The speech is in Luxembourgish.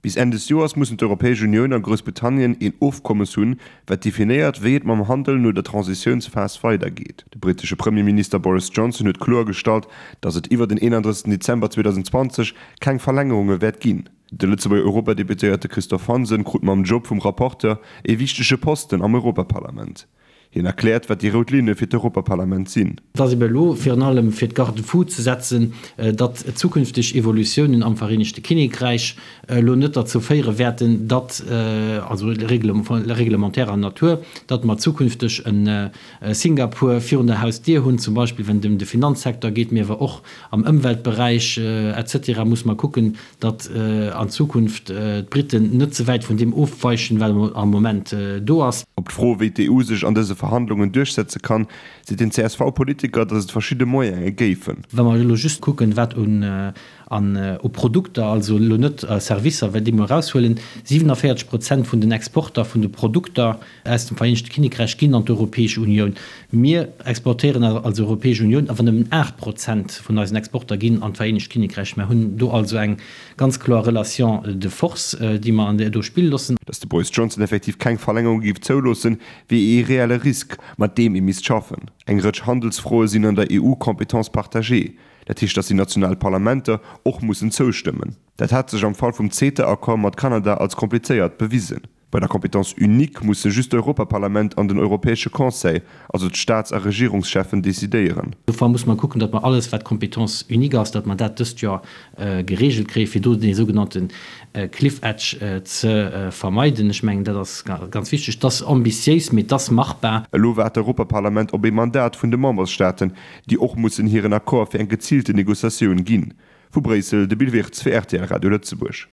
Bis Enn des Joers mussen d'Europäesch Unioun a Groussbritannien een Ofkommes hunn, wat definéiert, wéi et mam Handel no der Transitiounsphas weidergeet. De brittesche Premierminister Boris Johnson huet kloer gestallt, datt et iwwer den 31 Dezember 2020 keng Verlängerunge wäert ginn. De Lëtzebuerger Europadeputéierte Christophe Hansen krut mam Job vum Rapporteur ee wichtege Posten am Europaparlament. Hien erkläert, wat déi rout Linne fir d'Europaparlament sinn. Et ass ebe elo virun allem fir d'Garde-fous ze setzen, datt zukünfteg Evolutiounen am Vereenegte Kinnekräich elo net derzou féiere wäerten, datt, also reglementärer Natur, datt mer zukünfteg e Singapur virun der Hausdier hunn, zum Beispill wenn et ëm de Finanzsecteur geet, mee awer och am Ëmweltberäich et cetera muss mer kucken, datt an Zukunft d'Briten net ze wäit vun deem ofweichen, wat am Moment do ass. Op d'Fro, wéi d'EU sech an dëse Verhandlungen duerchsetze kann, seet den CSV-Politiker, datt et verschidde Moyene géifen. Wa mer elo just kucken, wat un u Produkter, also elo net Servicer, well déi mol eraushuelen, 47 Prozent vun den Exporter vun de Produkter aus dem Vereenegte Kinnekräich ginn an d'Europäesch Unioun. Mir exportéieren als Europäesch Unioun awer nëmmen 8 Prozent vun eisen Exporter ginn an d'Vereenegt Kinnekräich. Mer hunn do also eng ganz kloer Relation de force, déi mer an do spille loossen. Datt de Boris Johnson effektiv keng Verlängerung géif zouloossen, wier ee reelle Risk, mat deem ee misst schaffen. Eng Rëtsch Handelsfroe sinn an der EU Compétence partagée, dat heescht, datt déi national Parlamenter och mussen zoustëmmen. Dat hat sech am Fall vum CETA-Accord mat Kanada als komplizéiert bewisen. Bei der Compétence unique musse just d'Europaparlament an den Europäesche Conseil, also d'Staats a Regierungscheffen, decidéieren. Dofir muss mer kucken, datt mer alles, wat Compétence unique ass, datt mer dat dëst Joer geregelt kréien, fir do dee sougenannte Cliff edge ze vermeiden. Ech mengen, dat ass ganz wichteg. Et ass ambitiéis, mee et ass machbar. Elo waart d'Europaparlament op ee Mandat vun de Memberstaaten, déi och mussen hiren Accord fir eng geziilte Negociatioun ginn. Vu Bréissel, de Bill Wirtz fir rtl Radio Lëtzebuerg.